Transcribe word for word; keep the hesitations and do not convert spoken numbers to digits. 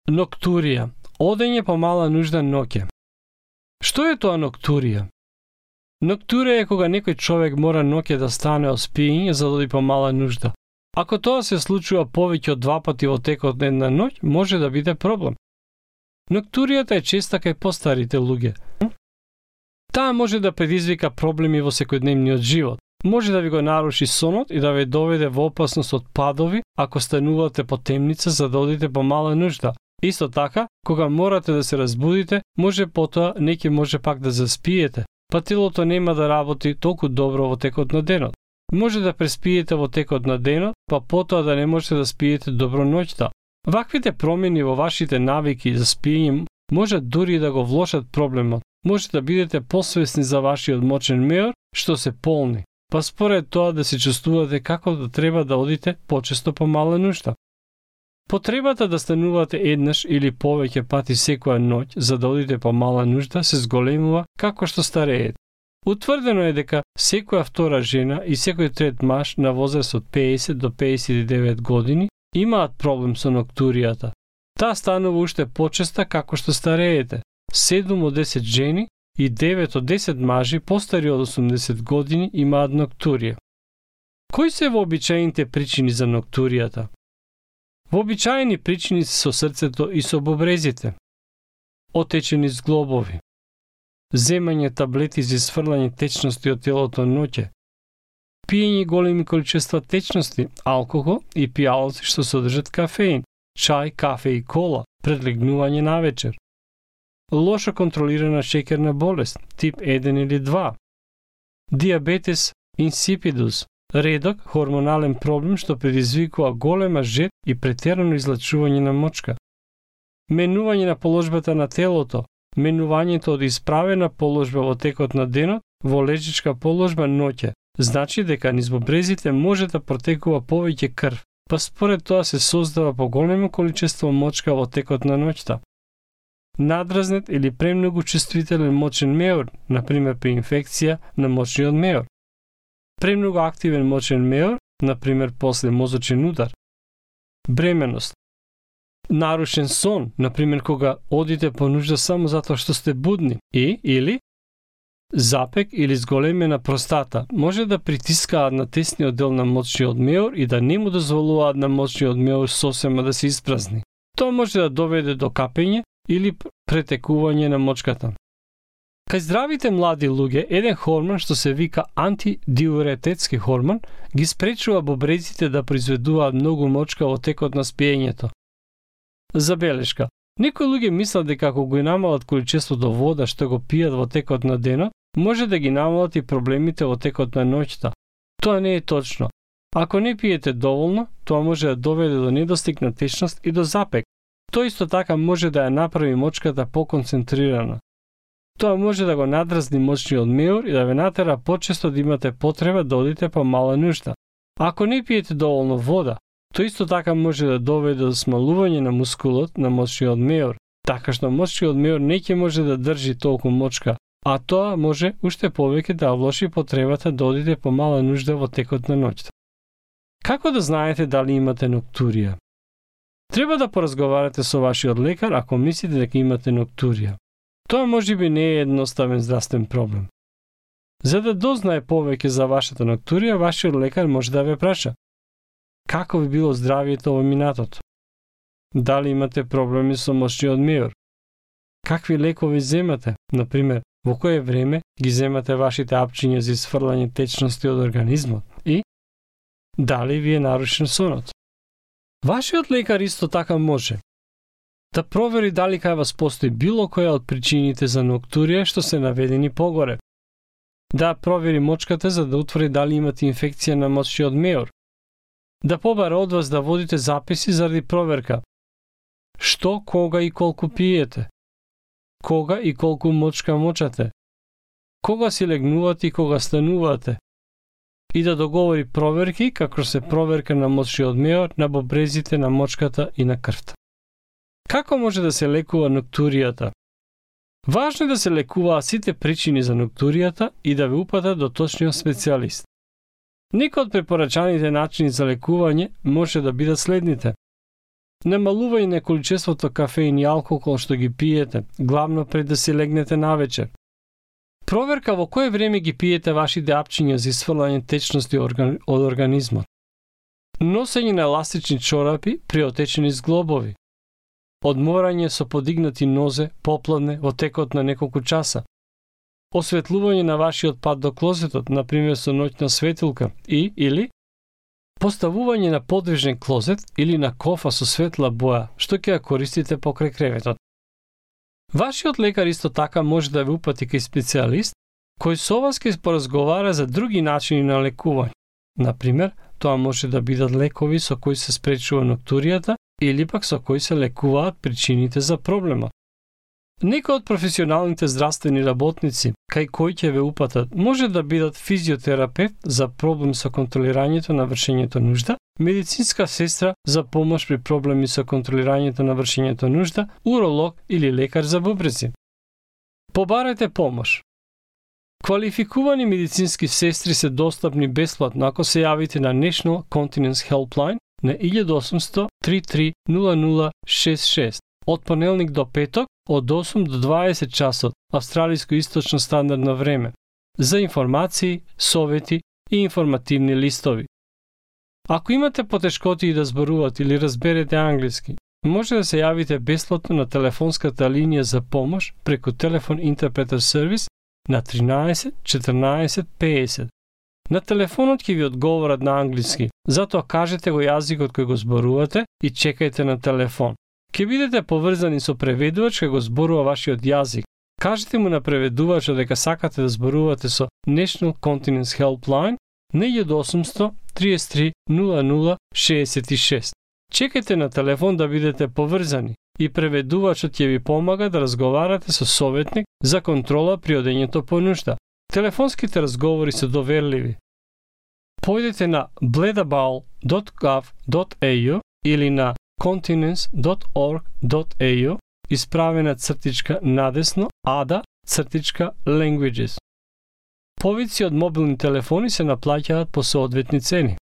Ноктурија. Одење по мала нужда ноќе. Што е тоа ноктурија? Ноктурија е кога некој човек мора ноќе да стане од спиење за да оди по мала нужда. Ако тоа се случува повеќе од два пати во текот на една ноќ, може да биде проблем. Ноктуријата е честа кај постарите луѓе. Таа може да предизвика проблеми во секојдневниот живот. Може да ви го наруши сонот и да ве доведе во опасност од падови ако станувате по темница за да одите по мала нужда. Исто така, кога морате да се разбудите, може потоа неќе може пак да заспиете, па телото нема да работи толку добро во текот на денот. Може да преспиете во текот на денот, па потоа да не можете да спиете добро ноќта. Ваквите промени во вашите навики за спиење може дури да го влошат проблемот. Може да бидете посвесни за вашиот мочен меор, што се полни, па според тоа да се чувствувате како да треба да одите почесто по мала нужда. Потребата да станувате еднаш или повеќе пати секоја ноќ за да одите по мала нужда се зголемува како што стареете. Утврдено е дека секоја втора жена и секој трет маж на возраст од педесет до педесет и девет години имаат проблем со ноктуријата. Таа станува уште почеста како што стареете. седум од десет жени и девет од десет мажи постари од осумдесет години имаат ноктурија. Кои се вообичаените причини за ноктуријата? Вообичаени причини се со срцето и со бубрезите. Отечени зглобови. Земање таблети за изфрлање течности од телото ноќе. Пиење големи количества течности, алкохол и пијалаци што содржат кафеин, чај, кафе и кола, пред легнување навечер. Лошо контролирана шеќерна болест, тип еден или два. Диабетес инсипидус, редок хормонален проблем што предизвикува голема жед и претерано излачување на мочка. Менување на положбата на телото, менувањето од исправена положба во текот на денот во лежичка положба ноќе, значи дека низ бубрезите може да протекува повеќе крв, па според тоа се создава поголемо количество мочка во текот на ноќта. Надразнет или премногу чувствителен мочен меор, например при инфекција на мочниот меор. Премногу активен мочен меор, например после мозочен удар. Бременост. Нарушен сон, например кога одите по нужда само затоа што сте будни, и или запек или зголемена простата може да притискаат на тесниот дел на мочниот меор и да не му дозволуваат на мочниот меор сосема да се испразни. Тоа може да доведе до капење или претекување на мочката. Кај здравите млади луѓе, еден хормон што се вика антидиурететски хормон ги спречува бубрезите да произведуваат многу мочка во текот на спиењето. Забелешка. Некои луѓе мислат дека ако го намалат количеството вода што го пијат во текот на денот, може да ги намалат и проблемите во текот на ноќта. Тоа не е точно. Ако не пиете доволно, тоа може да доведе до недостиг на течност и до запек. Тоа исто така може да ја направи мочката поконцентрирана. Тоа може да го надразни мочниот меор и да ве натера почесто да имате потреба да одите по мала нужда. Ако не пиете доволно вода, тоа исто така може да доведе до смалување на мускулот на мочниот меор, така што мочниот меор не ќе може да држи толку мочка, а тоа може уште повеќе да влоши потребата да одите по мала нужда во текот на ноќта. Како да знаете дали имате ноктурија? Треба да поразговарате со вашиот лекар ако мислите дека имате ноктурија. Тоа можеби не е едноставен здравствен проблем. За да дознае повеќе за вашата ноктурија, вашиот лекар може да ве праша: како ви било здравието во минатото? Дали имате проблеми со мочниот меор? Какви лекови земате? Например, во кое време ги земате вашите апчиња за изфрлање течности од организмот? И дали ви е нарушен сонот? Вашиот лекар исто така може да провери дали кај вас постои било која од причините за ноктурија што се наведени погоре. Да провери мочката за да утврди дали имате инфекција на мочниот меор. Да побара од вас да водите записи заради проверка. Што, кога и колку пиете? Кога и колку мочка мочате? Кога си легнувате и кога станувате? И да договори проверки како се проверка на мочниот меор, на бубрезите, на мочката и на крвта. Како може да се лекува ноктуријата? Важно е да се лекуваат сите причини за ноктуријата и да ве упатат до точниот специјалист. Некои од препорачаните начини за лекување може да бидат следните: Намалување на количеството кафеин и алкохол што ги пиете, главно пред да си легнете навечер. Проверка во кое време ги пиете вашите апчиња за исфрлање течности од организмот. Носење на еластични чорапи при отечени зглобови. Одморање со подигнати нозе попладне во текот на неколку часа. Осветлување на вашиот пат до клозетот, например со ноќна светилка и или поставување на подвижен клозет или на кофа со светла боја, што ќе ја користите покрај креветот. Вашиот лекар исто така може да ве упати кај специјалист кој со вас ќе поразговара за други начини на лекување. Например, тоа може да бидат лекови со кои се спречува ноктуријата или пак со кои се лекуваат причините за проблемот. Некои од професионалните здравствени работници, кај кои ќе ве упатат, може да бидат физиотерапевт за проблем со контролирањето на вршењето нужда, медицинска сестра за помош при проблеми со контролирањето на вршењето нужда, уролог или лекар за бубрези. Побарајте помош. Квалификувани медицински сестри се достапни бесплатно ако се јавите на National Continence Helpline на еден осумсто три три нула нула шест шест од понеделник до петок од осум до дваесет часот австралиско-источно стандардно време за информации, совети и информативни листови. Ако имате потешкоти да зборувате или разберете англиски, може да се јавите бесплатно на телефонската линија за помош преку телефон интерпретер сервис на тринаесет четрнаесет песет. На телефонот ќе ви одговорат на англиски, затоа кажете го јазикот кој го зборувате и чекајте на телефон. Ќе бидете поврзани со преведувач кој го зборува вашиот јазик. Кажете му на преведувачот дека сакате да зборувате со National Continence Helpline на еден осумсто три три нула нула шест шест. Чекајте на телефон да бидете поврзани и преведувачот ќе ви помага да разговарате со советник за контрола при одењето по нужда. Телефонските разговори се доверливи. Појдете на bledabowl dot gov dot a u или на continence dot org dot a u исправена цртичка надесно ада цртичка languages. Повици од мобилни телефони се наплаќаат по соодветни цени.